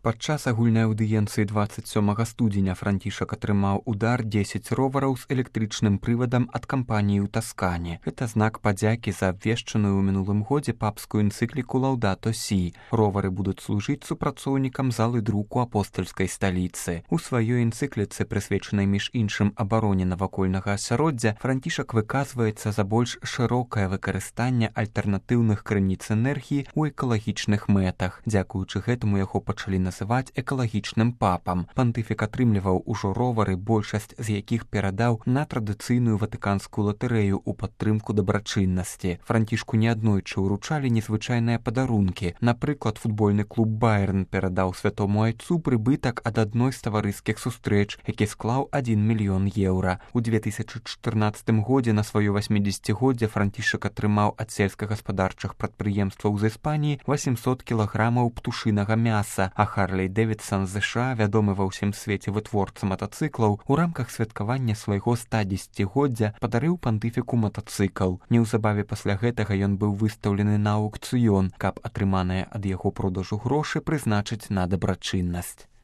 Падчас агульнай аўдыенцыі 27 студзеня Францішак атрымаў удар 10 ровараў з электрычным прывадам ад кампаніі ў Таскане. Гэта знак падзякі за абвешчаную ў мінулым годзе папскую энцыкліку Лаўдато Сі. Ровары будуць служыць супрацоўнікам залы друку апостальскай сталіцы. У сваёй энцыкліцы, прысвечанай між іншым абароне навакольнага асяроддзя, Францішак выказваецца за больш шырокае выкарыстанне альтэрнатыўных крыніц энергіі ў экалагічных мэтах. Дзякуючы гэтаму яго пачалі называць экалагічным папам. Пантыфік атрымліваў ужо ровары, большасць з якіх перадаў на традыцыйную ватыканскую латарэю ў падтрымку дабрачыннасці. Францішку неаднойчы ўручалі незвычайныя падарункі. Напрыклад, футбольны клуб Байерн перадаў святому айцу прыбытак ад адной з таварыскіх сустрэч, які склаў 1 мільён еўра. У 2014 годзе на сваё 80-годдзе Францішак атрымаў ад сельскагаспадарчых прадпрыемстваў з Іспаніі 800 кілаграмаў птушынага мяса, а Харлей Дэвідсан з США, вядомы ва ўсім свеце вытворца матацыклаў, у рамках святкавання свайго 110-годдзя падарыў пантыфіку матацыкл. Неўзабаве пасля гэтага ён быў выстаўлены на аўкцыён, каб атрыманыя ад яго продажу грошы прызначыць на дабрачыннасць.